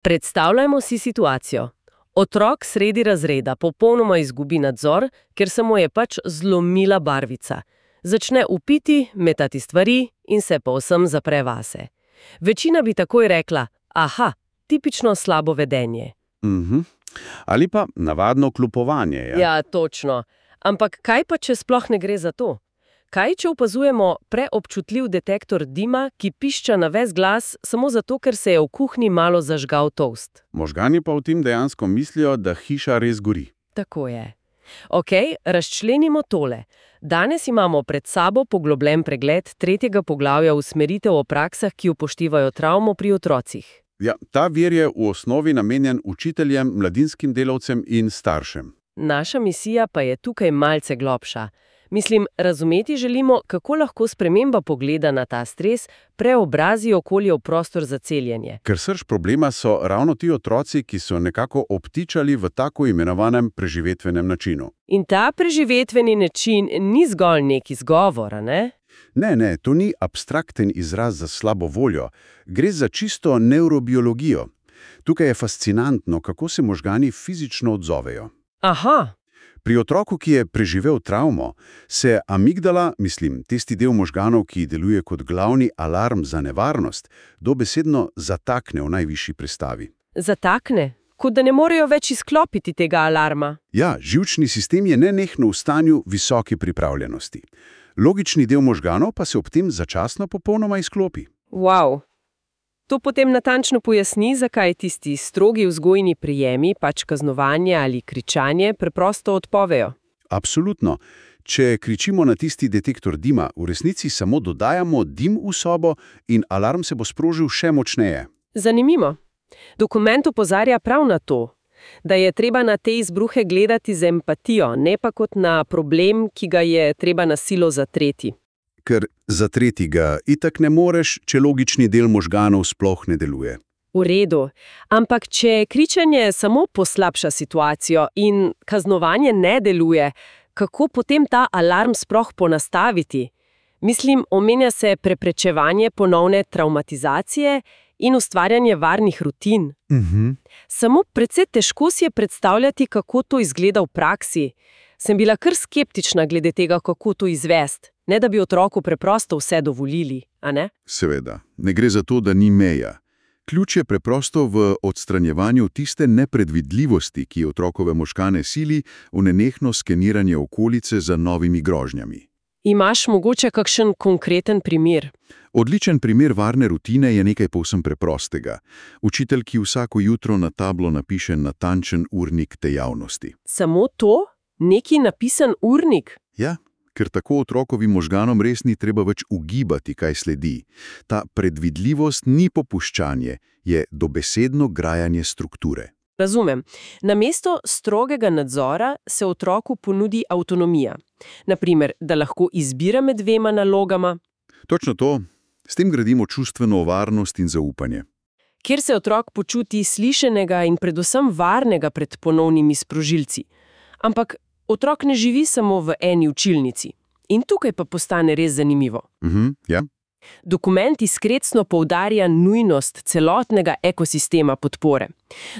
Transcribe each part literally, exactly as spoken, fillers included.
Predstavljajmo si situacijo. Otrok sredi razreda popolnoma izgubi nadzor, ker se mu je pač zlomila barvica. Začne vpiti, metati stvari in se povsem zapre vase. Večina bi takoj rekla, aha, tipično slabo vedenje. Mhm. Ali pa navadno kljupovanje. Ja? Ja, točno. Ampak kaj pa, če sploh ne gre za to? Kaj, če opazujemo preobčutljiv detektor dima, ki pišča na ves glas samo zato, ker se je v kuhinji malo zažgal toast? Možgani pa v tem dejansko mislijo, da hiša res gori. Tako je. Ok, razčlenimo tole. Danes imamo pred sabo poglobljen pregled tretjega poglavja usmeritev o praksah, ki upoštevajo travmo pri otrocih. Ja, ta vir je v osnovi namenjen učiteljem, mladinskim delavcem in staršem. Naša misija pa je tukaj malce globša. Mislim, razumeti želimo, kako lahko sprememba pogleda na ta stres preobrazi okolje v prostor za celjenje. Ker srž problema so ravno ti otroci, ki so nekako obtičali v tako imenovanem preživetvenem načinu. In ta preživetveni način ni zgolj nek izgovor, ne? Ne, ne, to ni abstrakten izraz za slabo voljo. Gre za čisto nevrobiologijo. Tukaj je fascinantno, kako se možgani fizično odzovejo. Aha. Pri otroku, ki je preživel travmo, se amigdala, mislim, tisti del možganov, ki deluje kot glavni alarm za nevarnost, dobesedno zatakne v najvišji prestavi. Zatakne? Kot da ne morejo več izklopiti tega alarma. Ja, živčni sistem je nenehno v stanju visoke pripravljenosti. Logični del možganov pa se ob tem začasno popolnoma izklopi. Wow. To potem natančno pojasni, zakaj tisti strogi vzgojni prijemi, pač kaznovanje ali kričanje, preprosto odpovejo. Absolutno. Če kričimo na tisti detektor dima, v resnici samo dodajamo dim v sobo in alarm se bo sprožil še močneje. Zanimivo. Dokument opozarja prav na to, da je treba na te izbruhe gledati z empatijo, ne pa kot na problem, ki ga je treba na silo zatreti. Ker zatreti ga itak ne moreš, če logični del možganov sploh ne deluje. V redu, ampak če kričanje samo poslabša situacijo in kaznovanje ne deluje, kako potem ta alarm sploh ponastaviti? Mislim, omenja se preprečevanje ponovne travmatizacije in ustvarjanje varnih rutin. Mhm. Samo precej težko si je predstavljati, kako to izgleda v praksi. Sem bila kar skeptična glede tega, kako to izvesti. Ne da bi otroku preprosto vse dovolili, a ne? Seveda, ne gre za to, da ni meja. Ključ je preprosto v odstranjevanju tiste nepredvidljivosti, ki otrokove možgane sili v nenehno skeniranje okolice za novimi grožnjami. Imaš mogoče kakšen konkreten primer? Odličen primer varne rutine je nekaj povsem preprostega. Učitelj, ki vsako jutro na tablo napiše natančen urnik dejavnosti. Samo to? Neki napisan urnik? Ja. Ker tako otrokovim možganom res ni treba več ugibati, kaj sledi. Ta predvidljivost ni popuščanje, je dobesedno grajanje strukture. Razumem. Namesto strogega nadzora se otroku ponudi avtonomija. Naprimer, da lahko izbira med dvema nalogama. Točno to. S tem gradimo čustveno varnost in zaupanje. Kjer se otrok počuti slišenega in predvsem varnega pred ponovnimi sprožilci. Ampak otrok ne živi samo v eni učilnici. In tukaj pa postane res zanimivo. Mhm, ja. Dokument izkrecno poudarja nujnost celotnega ekosistema podpore.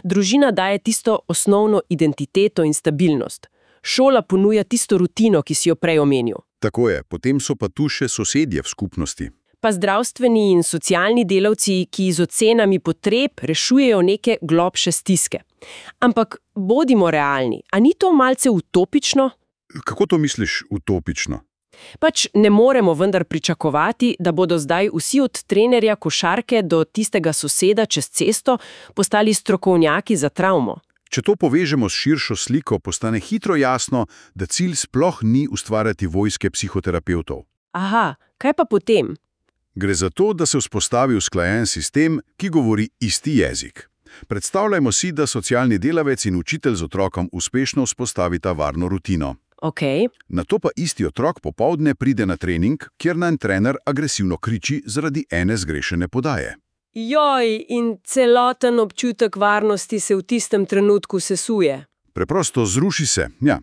Družina daje tisto osnovno identiteto in stabilnost. Šola ponuja tisto rutino, ki si jo prej omenil. Tako je, potem so pa tu še sosedje v skupnosti. Pa zdravstveni in socialni delavci, ki z ocenami potreb rešujejo neke globše stiske. Ampak bodimo realni, a ni to malce utopično? Kako to misliš utopično? Pač ne moremo vendar pričakovati, da bodo zdaj vsi od trenerja košarke do tistega soseda čez cesto postali strokovnjaki za travmo. Če to povežemo s širšo sliko, postane hitro jasno, da cilj sploh ni ustvarjati vojske psihoterapevtov. Aha, kaj pa potem? Gre za to, da se vzpostavi usklajen sistem, ki govori isti jezik. Predstavljajmo si, da socialni delavec in učitelj z otrokom uspešno vzpostavita varno rutino. Ok. Nato pa isti otrok popoldne pride na trening, kjer nanj trener agresivno kriči zaradi ene zgrešene podaje. Joj, in celoten občutek varnosti se v tistem trenutku sesuje. Preprosto zruši se, ja.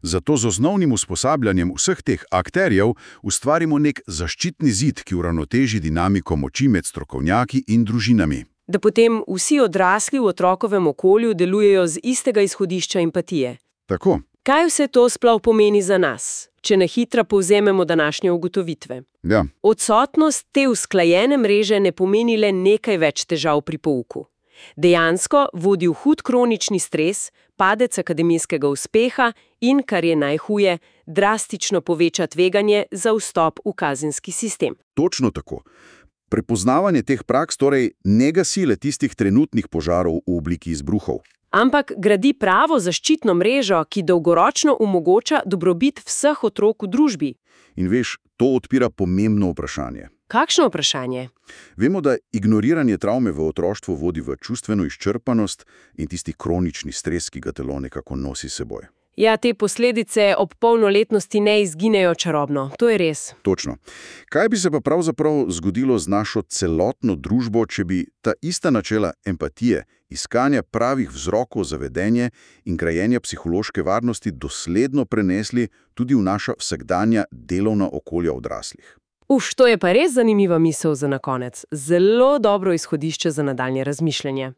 Zato z osnovnim usposabljanjem vseh teh akterjev ustvarimo nek zaščitni zid, ki uravnoteži dinamiko moči med strokovnjaki in družinami. Da potem vsi odrasli v otrokovem okolju delujejo z istega izhodišča empatije. Tako. Kaj vse to sploh pomeni za nas, če na hitro povzememo današnje ugotovitve? Ja. Odsotnost te usklajene mreže ne pomeni le nekaj več težav pri pouku. Dejansko vodi v hud kronični stres, padec akademijskega uspeha in, kar je najhuje, drastično poveča tveganje za vstop v kazenski sistem. Točno tako. Prepoznavanje teh praks torej ne gasi le tistih trenutnih požarov v obliki izbruhov. Ampak gradi pravo zaščitno mrežo, ki dolgoročno omogoča dobrobit vseh otrok v družbi. In veš, to odpira pomembno vprašanje. Kakšno vprašanje? Vemo, da ignoriranje travme v otroštvu vodi v čustveno izčrpanost in tisti kronični stres, ki ga telo nekako nosi s seboj. Ja, te posledice ob polnoletnosti ne izginejo čarobno, to je res. Točno. Kaj bi se pa pravzaprav zgodilo z našo celotno družbo, če bi ta ista načela empatije, iskanja pravih vzrokov za vedenje in grajenja psihološke varnosti dosledno prenesli tudi v naša vsakdanja delovna okolja odraslih? Uf, to je pa res zanimiva misel za na konec. Zelo dobro izhodišče za nadaljnje razmišljanje.